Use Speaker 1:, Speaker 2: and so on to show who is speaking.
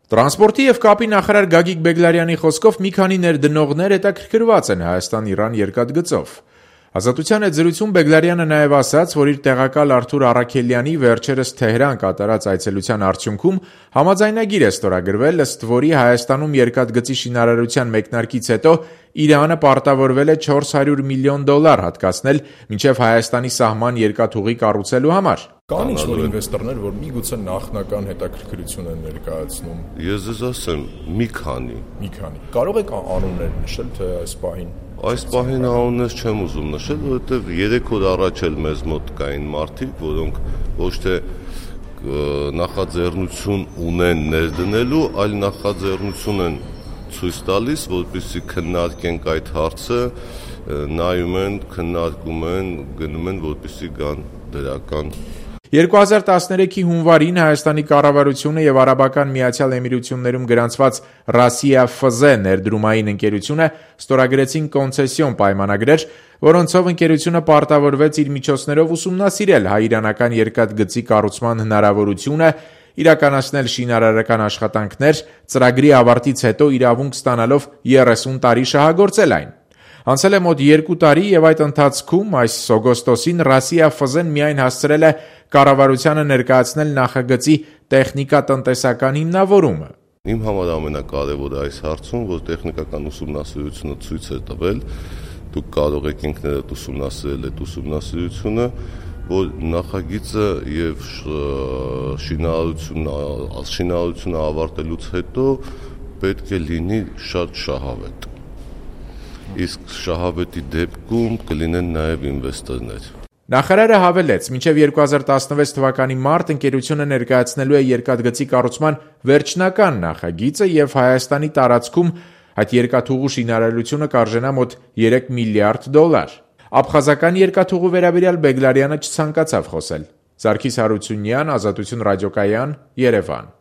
Speaker 1: Տրանսպորտի և կապի նախարար Գագիկ Բեգլարյանի խոսքով մի քանի ներդնողներ հետաքրքրված են Հայաստան-Իրան երկաթգծով։ Ազատության հետ զրույցում Բեգլարյանը նաև ասաց, որ իր տեղակալ Արթուր Առաքելյանի վերջերս Թեհրան կատարած այցելության արդյունքում համաձայնագիր է ստորագրվել, ըստ որի Հայաստանում երկաթգծի շինարարության մեկնարկից հետո Իրանը պարտավորվել է $400 միլիոն հատկացնել մինչև Հայաստանի սահման երկաթուղի կառուցելու համար։
Speaker 2: Կան ինչ-որ ինվեստորներ, որ միգուցե նախնական հետաքրքրություն են ներկայացնում։
Speaker 3: Ես ձեզ ասեմ, մի քանի։
Speaker 2: Կարող եք անուններ նշել, թե այս պահին։
Speaker 3: Այս պահին անուններ չեմ ուզում նշել, որովհետև 3 օր առաջ էլ մեզ մոտ կային մարդիկ, որոնք ոչ թե նախաձեռնություն ունեն ներդնելու, այլ նախաձեռնություն են ցույց տալիս, որպեսզի քննարկենք այդ հարցը, նայում են, քննարկում են, գնում են, որպեսզի գան դրական։
Speaker 1: 2013-ի հունվարին Հայաստանի կառավարությունը և Արաբական Միացյալ Էմիրություններում գրանցված Ռասիա ՖԶ ներդրումային ընկերությունը ստորագրեցին կոնցեսիոն պայմանագրեր, որոնցով ընկերությունը պարտավորվեց իր միջոցներով ուսումնասիրել հայ-իրանական երկաթգծի կառուցման հնարավորությունը, իրականացնել շինարարական աշխատանքներ, ծրագրի ավարտից հետո իրավունք ստանալով 30 տարի շահագործել այն։ Անցել է մոտ 2 տարի և այդ ընթացքում այս օգոստոսին Ռասիա ՖԶ-ն միայն հասցրել է կառավարությանը ներկայացնել նախագծի տեխնիկատնտեսական հիմնավորումը։
Speaker 3: Իմ համար ամենակարևորը այս հարցում, որ տեխնիկական ուսումնասիրությունը ցույց է տվել, դուք կարող եք ինքներդ ուսումնասիրել այդ ուսումնասիրությունը, որ նախագիծը և շինարարությունը ավարտելուց հետո պետք է լինի շատ շահավետ։ Իսկ շահավետի դեպքում կլինեն նաև ինվեստորներ։
Speaker 1: Նախարարը հավելեց, մինչև 2016 թվականի մարտ ընկերությունը ներկայացնելու է երկաթգծի կառուցման վերջնական նախագիծը և Հայաստանի տարածքում այդ երկաթուղու շինարարությունը կարժենա մոտ $3 միլիարդ։ Աբխազական երկաթուղու վերաբերյալ Բեգլարյանը չցանկացավ խոսել։ Սարգիս Հարությունյան, Ազատություն ռադիոկայան, Երևան։